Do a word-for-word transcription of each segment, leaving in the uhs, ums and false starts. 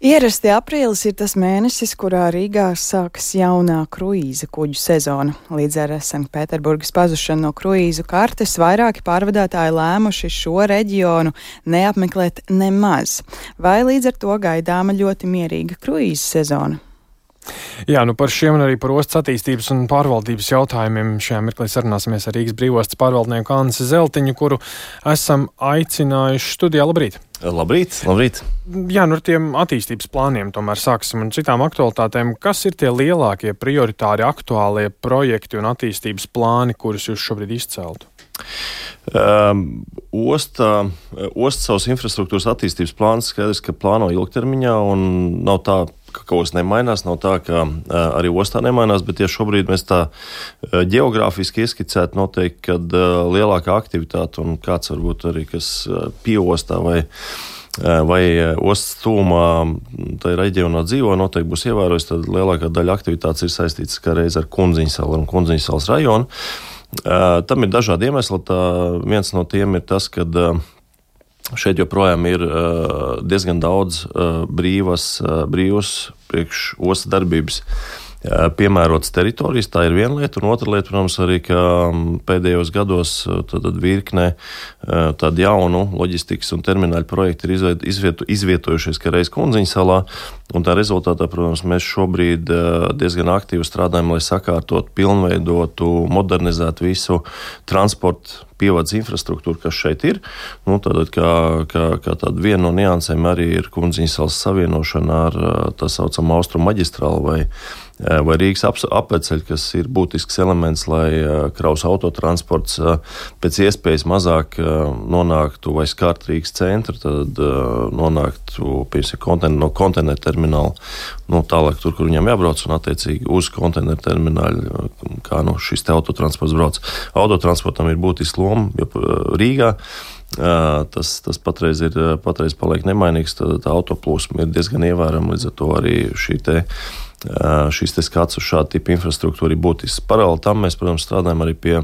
Ierasti aprīlis ir tas mēnesis, kurā Rīgā sākas jaunā kruīza kuģu sezona. Līdz ar Sanktpēterburgas pazušanu no kruīzu kartes vairāki pārvadātāji lēmuši šo reģionu neapmeklēt nemaz. Vai līdz ar to gaidāma ļoti mierīga kruīza sezona? Jā, nu par šiem un arī par ostas attīstības un pārvaldības jautājumiem šajā mirklī sarunāsimies ar Rīgas brīvostas pārvaldnieku Annesi Zeltiņu, kuru esam aicinājuši studijā. Labrīt! Labrīt, labrīt! Jā, nu ar tiem attīstības plāniem tomēr sāksim un citām aktualitātēm. Kas ir tie lielākie prioritāri aktuālie projekti un attīstības plāni, kurus jūs šobrīd izceltu? Um, osta, osta savas infrastruktūras attīstības plāns skaidrs, ka plāno ilgtermiņā un nav tā, ka kaut kas nemainās, nav tā, ka uh, arī ostā nemainās, bet ja šobrīd mēs tā uh, ģeogrāfiski ieskicētu noteikti, kad uh, lielākā aktivitāte un kāds varbūt arī, kas uh, pieostā vai uh, vai ostas tūmā tajā reģionā dzīvo, noteikti būs ievērojis, tad lielākā daļa aktivitātes ir saistītas kā reiz ar Kundziņsalu un Kundziņsalas rajonu. Uh, tam ir dažādi iemesli. Tā viens no tiem ir tas, ka uh, šeit joprojām ir uh, diezgan daudz uh, brīvas, uh, brīvas priekš ostas darbības uh, piemērotas teritorijas. Tā ir viena lieta, un otra lieta, protams, arī, ka um, pēdējos gados uh, tad, tad virknē uh, tādu jaunu loģistikas un termināļu projektu ir izviet, izvietu, izvietojušies kā reiz Kundziņsalā. Un tā rezultātā, protams, mēs šobrīd diezgan aktīvi strādājam, lai sakārtot, pilnveidotu, modernizētu visu transportu pievades infrastruktūru, kas šeit ir. Nu, tātad, kā, kā, kā tāda viena no niansēm arī ir Kundziņsalas savienošana ar tā saucamo Austrumu maģistrālu vai, vai Rīgas ap, apveceļu, kas ir būtisks elements, lai kraus autotransports pēc iespējas mazāk nonāktu vai skārt Rīgas centru, tad nonāktu pie konten, no konteineru termināla, nu, tālāk tur, kur viņam jābrauc, un attiecīgi uz konteineru termināļu, kā nu, šis te autotransports brauc. Autotransportam ir būtiski loma Rīgā. Tas, tas patreiz, ir, patreiz paliek nemainīgs, tad tā autoplūsma ir diezgan ievērama, līdz ar to arī šī te, šis te skats uz šādu tipu infrastruktūru ir būtisks. Paralēli tam mēs, protams, strādājam arī pie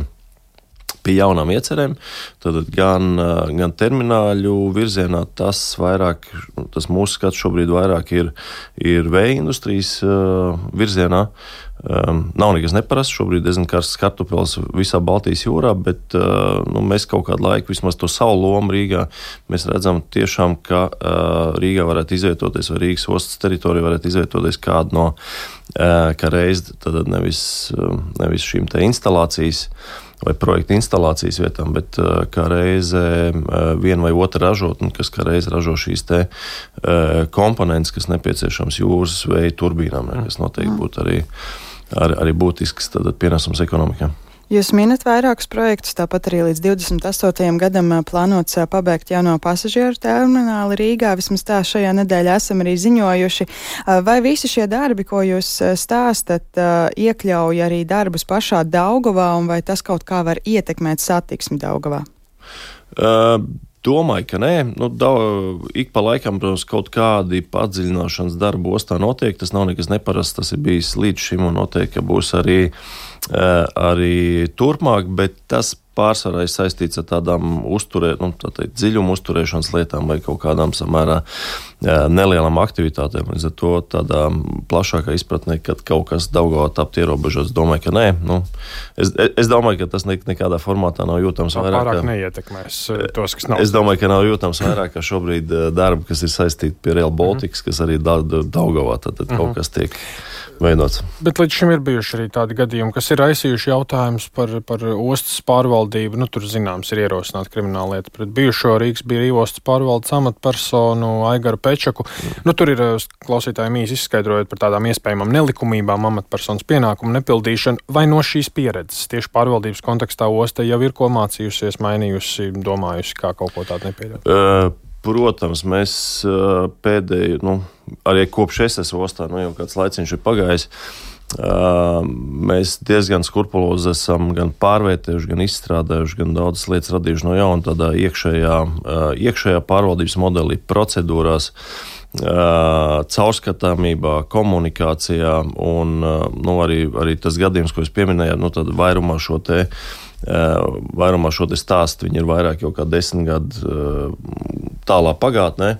pie jaunām iecerēm, tad gan, gan termināļu virzienā tas vairāk, tas mūsu skats šobrīd vairāk ir, ir vēja industrijas uh, virzienā. Um, nav nekas neparasts, šobrīd diezgan karsts kartupels visā Baltijas jūrā, bet uh, nu, mēs kaut kādu laiku, vismaz to savu lomu Rīgā, mēs redzam tiešām, ka uh, Rīgā varētu izvietoties, vai Rīgas ostas teritorija varētu izvietoties kādu no, uh, kā reiz, tad nevis, uh, nevis šīm te instalācijas, vai projekta instalācijas vietām, bet uh, kā reize uh, viena vai otra ražotne, kas kā reize ražo šīs te uh, komponentes, kas nepieciešams jūras vēja turbīnām, ne, kas noteikti būtu arī, arī, arī būtisks tad pienesums ekonomikā. Jūs minat vairākus projektus, tāpat arī līdz divdesmit astotajam gadam plānots pabeigt jauno pasažieru termināli Rīgā. Vismaz tā šajā nedēļā esam arī ziņojuši. Vai visi šie darbi, ko jūs stāstat, iekļauj arī darbus pašā Daugavā, un vai tas kaut kā var ietekmēt satiksmi Daugavā? Uh, Domāju, ka nē. Nu, da, ik pa laikam, protams, kaut kādi padziļināšanas darbi ostā notiek. Tas nav nekas neparasts, tas ir bijis līdz šim un noteikti, ka būs arī, arī turpmāk, bet tas pārsvarā ir saistīts ar tādām uzturē, nu, tā teikt, dziļumu uzturēšanas lietām vai kaut kādām samērā nelielām aktivitātēm. Līdz ar to tādā plašākā izpratnē, kad kaut kas Daugavā tapt ierobežots, domāju, ka nē. Nu, es, es domāju, ka tas ne, nekādā formātā nav jūtams vairāk. Pārāk neietekmēs tos, kas nav. Es domāju, ka nav jūtams vairāk, ka šobrīd darbi, kas ir saistīti pie Rail Baltics, kas arī Daugavā, tad, tad kaut kas tiek veidots. Bet līdz šim ir bijuši arī tādi gadījumi, kas ir aizsījuši jautājumus par, par ostas pārvaldību. Nu, tur, zināms, ir ierosināta krimināla lieta pret bijušo Rīgas brīvostas pārvaldes amatpersonu Aigaru Pečaku. Mm. Nu, tur ir klausītājiem īsi izskaidrojot par tādām iespējamām nelikumībām, amatpersonas pienākumu nepildīšanu. Vai no šīs pieredzes tieši pārvaldības kontekstā osta jau ir ko mācījusies, mainījusi, domājusi, kā kaut ko tādu nepieļaut? Uh. Protams, mēs pēdējo, nu, arī kopš es esmu ostā, nu, jau kāds laiciņš ir pagājis, mēs diezgan skrupulozi esam gan pārvērtējuši, gan izstrādājuši, gan daudzas lietas radījuši no jauna tādā iekšējā, iekšējā pārvaldības modelī, procedūrās, caurskatāmībā, komunikācijā un nu, arī, arī tas gadījums, ko es pieminēju, nu, tad vairumā šo te Vairumā šo te stāstu, viņi ir vairāk jau kā desmit gadu tālā pagātnē.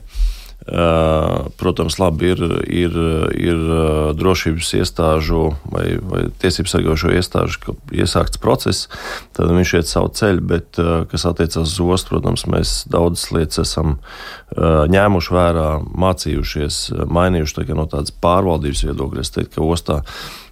Protams, labi ir, ir, ir drošības iestāžu vai, vai tiesības sargājošo iestāžu iesākts process, tad viņš iet savu ceļu, bet, kas attiecās uz ostu, protams, mēs daudzas lietas esam ņēmuši vērā, mācījušies, mainījuši tā, no tādas pārvaldības viedokļa. Es teiktu, ka ostā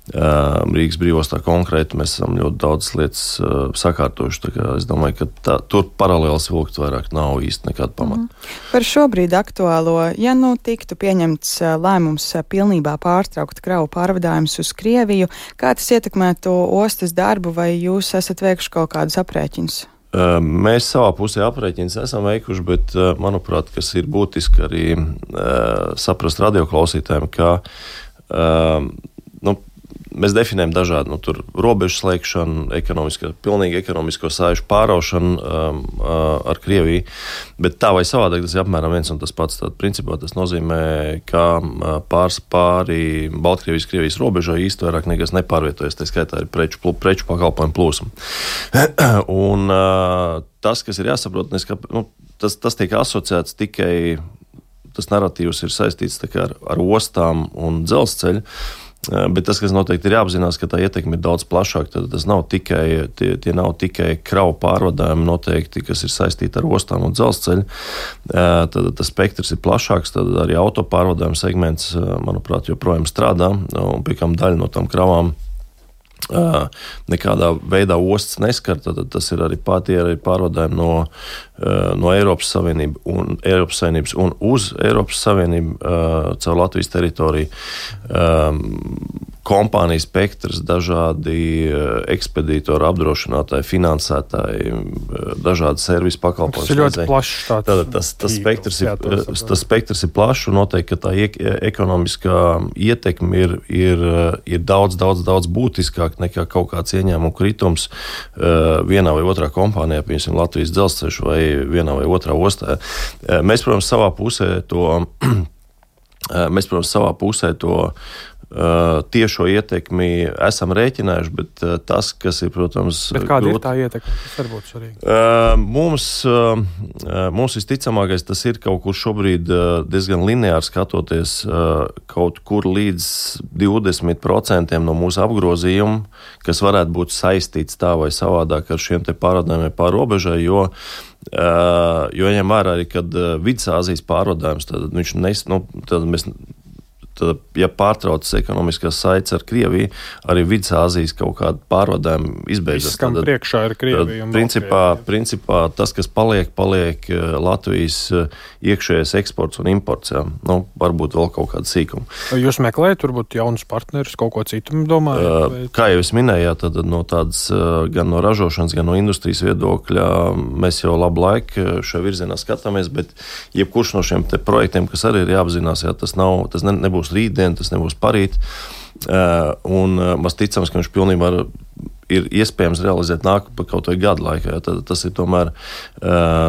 Rīgas brīvostā konkrēti mēs esam ļoti daudz lietas uh, sakārtojuši. Es domāju, ka tā, tur paralēlis vilkt vairāk nav īsti nekāda pamata. Mm. Par šobrīd aktuālo, ja nu tiktu pieņemts lēmums pilnībā pārtraukt kravu pārvadājumus uz Krieviju, kā tas ietekmētu ostas darbu, vai jūs esat veikuši kaut kādus aprēķinus? Uh, mēs savā pusē aprēķinus esam veikuši, bet, uh, manuprāt, kas ir būtiski arī uh, saprast radioklausītājiem, ka uh, nu, mēs definējam dažādu nu, robežu slēgšanu, ekonomisko, pilnīgi ekonomisko sāžu pāraušanu um, ar Krieviju, bet tā vai savādāk tas ir apmēram viens un tas pats. Tad, principā, tas nozīmē, ka pārs pāri Baltkrievijas, Krievijas robežai īsti vairāk nekas nepārvietojas, tā skaitā ir preču, preču pakalpojumu plūsma. Un uh, tas, kas ir jāsaprot, ka, nu, tas, tas tiek asociēts tikai, tas narratīvs ir saistīts kā, ar, ar ostām un dzelzceļu. Bet tas, kas noteikti ir jāapzinās, ka tā ietekme ir daudz plašāka. Tad tas nav tikai, tie, tie nav tikai kravu pārvadājumi noteikti, kas ir saistīti ar ostām un dzelzceļu. Tad tas spektrs ir plašāks, tad arī auto pārvadājuma segments, manuprāt, joprojām strādā, un pie kam daļa no tām kravām nekādā veidā ostas neskar, tad tas ir arī pārtie arī pārvadājumi no, no Eiropas Savienības un, Eiropas Savienības un uz Eiropas Savienību caur Latvijas teritoriju. Kompāniju spektrs, dažādi ekspedītori, apdrošinātāji, finansētāji, dažādi servisu pakalpojumi. Tas ir ļoti plašs tāds. Tātad tas, tas, spektrs ir, tas spektrs ir plašs un noteikti, ka tā iek, ekonomiskā ietekme ir, ir, ir daudz, daudz, daudz būtiskāk nekā kaut kāds ieņēmumu kritums vienā vai otrā kompānijā, piemēram, Latvijas dzelzceļš vai vienā vai otrā ostā. Mēs, protams, savā pusē to, mēs, protams, savā pusē to tiešo ietekmi esam rēķinājuši, bet tas, kas ir, protams... Bet kāda grūt, ir tā ietekme? Tas var būt svarīgi. Mums, mums visticamākais tas ir kaut kur šobrīd diezgan lineāri skatoties kaut kur līdz divdesmit procentiem no mūsu apgrozījuma, kas varētu būt saistīts tā vai savādāk ar šiem te pārvadājumiem pār robežai, jo jo ņem vērā arī, kad Vidusāzijas pārvadājums, tad viņš nes, nu, tad mēs Tad, ja pārtraucas ekonomiskās saites ar Krieviju, arī Vidusāzijas kaut kāda pārvadājuma izbeidzas. Viss, kam priekšā ir Krievija. Principā, principā tas, kas paliek, paliek Latvijas iekšējais eksports un imports. Jā. Nu, varbūt vēl kaut kāda sīkuma. Jūs meklējat, varbūt jaunus partnerus, kaut ko citu domājat? Vai... Kā jau es minēju, tad no tādas gan no ražošanas, gan no industrijas viedokļa mēs jau labu laiku šajā virzienā skatāmies, bet jebkurš no šiem te projektiem, kas arī ir jāapzinās, jā, tas, nav, tas ne, nebūs rītdien, tas nebūs parīt, un mēs ticams, ka viņš pilnībā ir iespējams realizēt nākamā kaut vai gadu laikā. Tad tas ir tomēr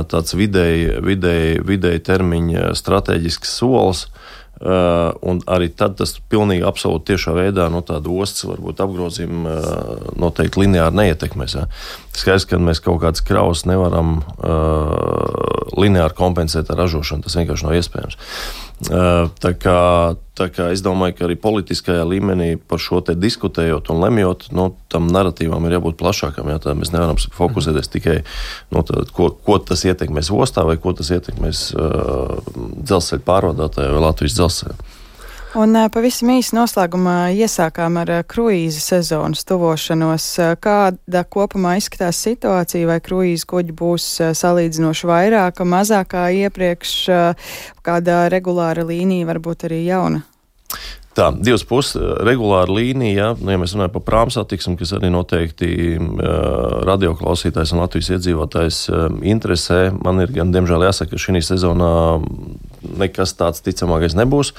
tāds vidēji, vidēji, vidēji termiņa stratēģisks solis, un arī tad tas pilnīgi absolūti tiešā veidā no tāda ostas varbūt apgrozījuma noteikti lineāri neietekmēs. Ja. Skaidrs, ka mēs kaut kādas kravas nevaram uh, lineāri kompensēt ar ražošanu, tas vienkārši nav iespējams. Uh, tā kā, tā kā es domāju, ka arī politiskajā līmenī par šo te diskutējot un lemjot, nu, tam narratīvam ir jābūt plašākam, ja, tā mēs nevaram fokusēties tikai, nu, tā, ko, ko tas ietekmēs ostā vai ko tas ietekmēs uh, dzelzceļa pārvadātāju vai Latvijas dzelzceļa. Un pavisam īsi noslēgumā iesākām ar kruīza sezonas tuvošanos. Kāda kopumā izskatās situācija, vai kruīza kuģi būs salīdzinoši vairāk, mazākā iepriekš, kāda regulāra līnija varbūt arī jauna? Tā, divas puses regulāra līnija, nu, ja mēs runājam par prāmu satiksmi, kas arī noteikti uh, radioklausītājs un Latvijas iedzīvotājs uh, interesē. Man ir gan, diemžēl, jāsaka, ka šī sezonā nekas tāds ticamākais nebūs.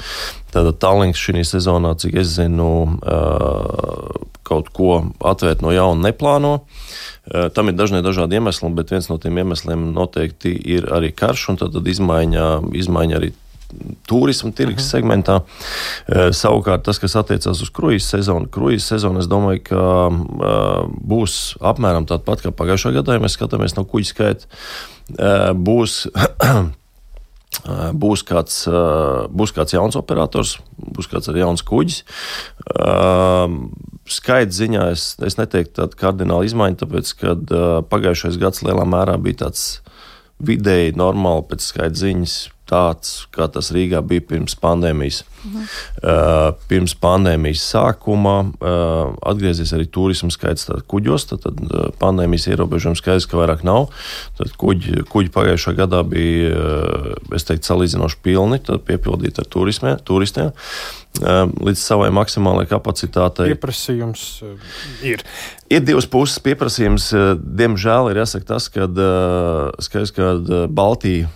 Tātad Tallinks šī sezonā, cik es zinu, uh, kaut ko atvērt no jauna neplāno. Uh, tam ir dažni dažādi iemesli, bet viens no tiem iemesliem noteikti ir arī karš, un tad izmaiņa, izmaiņa arī turisma tirgus uh-huh. segmentā. E, savukārt tas, kas attiecās uz kruīza sezonu, kruīza sezonu, es domāju, ka e, būs apmēram tāda pat kā pagājušā gadā, ja mēs skatāmies no kuģa skaita, e, būs būs kāds, būs kāds jauns operators, būs kāds arī jauns kuģis. Skaita ziņā es, es neteiktu tādu kardinālu izmaiņu, tāpēc, kad pagājušais gads lielā mērā bija tāds vidēji normāli pēc skaita ziņas, tāds, kā tas Rīgā bija pirms pandēmijas. Mhm. Uh, pirms pandēmijas sākuma uh, atgriezies arī turismu skaits kuģos, tad, tad uh, pandēmijas ierobežojums skaidrs, ka vairāk nav. Tad kuģi, kuģi pagājušā gadā bija, uh, es teiktu, salīdzinoši pilni, tad piepildīti ar turismē, turistiem. Uh, līdz savai maksimālajai kapacitātei. Pieprasījums uh, ir. Ir divas puses pieprasījums. Uh, diemžēl ir jāsaka tas, ka uh, skaidrs, ka uh, Baltija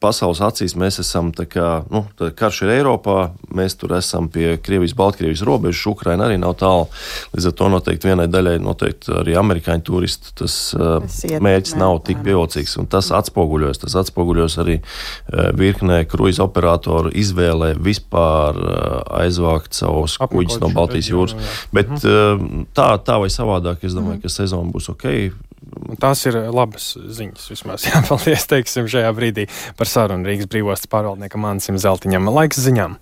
pasaules acīs mēs esam, tā kā, nu, tā karš ir Eiropā, mēs tur esam pie Krievijas, Baltkrievijas robežas, Ukraina arī nav tālu, līdz ar to noteikti vienai daļai, noteikti arī amerikāņu turisti, tas uh, mērķis nav tik pievilcīgs, un tas atspoguļojas, tas atspoguļojas arī uh, virknē kruīza operatoru izvēlē vispār uh, aizvākt savus kuģus no Baltijas jūras, bet uh, tā, tā vai savādāk, es domāju, ka sezona būs ok. Tās ir labas ziņas, vismaz jāpaldies, teiksim, šajā brīdī par sarunu Rīgas brīvostas pārvaldniekam Ansim Zeltiņam. Laiks ziņām.